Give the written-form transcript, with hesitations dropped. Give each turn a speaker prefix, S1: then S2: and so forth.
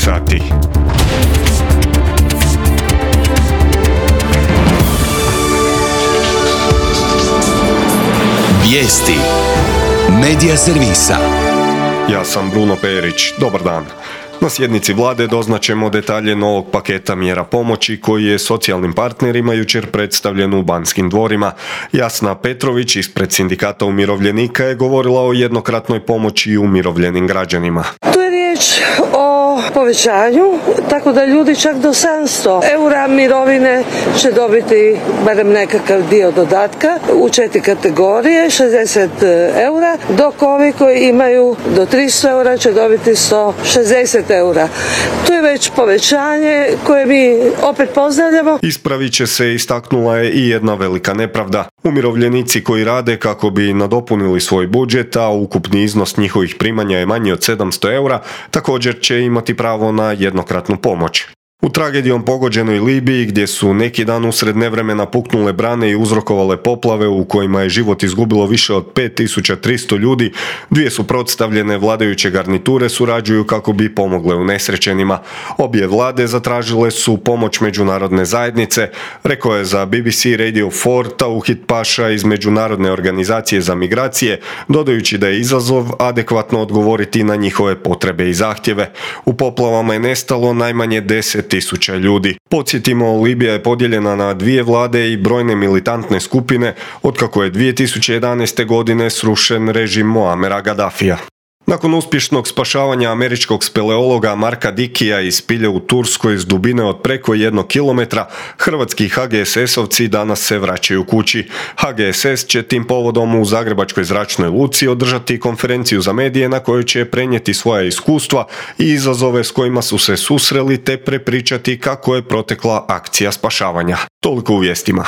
S1: sati.
S2: Vijesti Medija servisa.
S1: Ja sam Bruno Perić. Dobar dan. Na sjednici vlade doznaćemo detalje novog paketa mjera pomoći koji je socijalnim partnerima jučer predstavljen u Banskim dvorima. Jasna Petrović ispred sindikata umirovljenika je govorila o jednokratnoj pomoći umirovljenim građanima.
S3: Tu je riječ o povećanju, tako da ljudi čak do 700 eura mirovine će dobiti barem nekakav dio dodatka u 4 kategorije, 60 eura, dok ovi koji imaju do 300 eura će dobiti 160 eura. Tu je već povećanje koje mi opet pozdravljamo.
S1: Ispravit će se, istaknula je i jedna velika nepravda. Umirovljenici koji rade kako bi nadopunili svoj budžet, a ukupni iznos njihovih primanja je manji od 700 eura, također će imati pravo na jednokratnu pomoć. U tragedijom pogođenoj Libiji, gdje su neki dan usred nevremena puknule brane i uzrokovale poplave u kojima je život izgubilo više od 5300 ljudi, dvije suprotstavljene vladajuće garniture surađuju kako bi pomogle unesrećenima. Obje vlade zatražile su pomoć međunarodne zajednice, rekao je za BBC Radio 4 Tauhid Paša iz Međunarodne organizacije za migracije, dodajući da je izazov adekvatno odgovoriti na njihove potrebe i zahtjeve. U poplavama je nestalo najmanje 10.000 ljudi. Podsjetimo, Libija je podijeljena na dvije vlade i brojne militantne skupine otkako je 2011. godine srušen režim Muamera Gaddafija. Nakon uspješnog spašavanja američkog speleologa Marka Dikija iz spilje u Turskoj s dubine od preko 1 kilometra, hrvatski HGSS-ovci danas se vraćaju kući. HGSS će tim povodom u Zagrebačkoj zračnoj luci održati konferenciju za medije na kojoj će prenijeti svoja iskustva i izazove s kojima su se susreli te prepričati kako je protekla akcija spašavanja. Toliko u vijestima.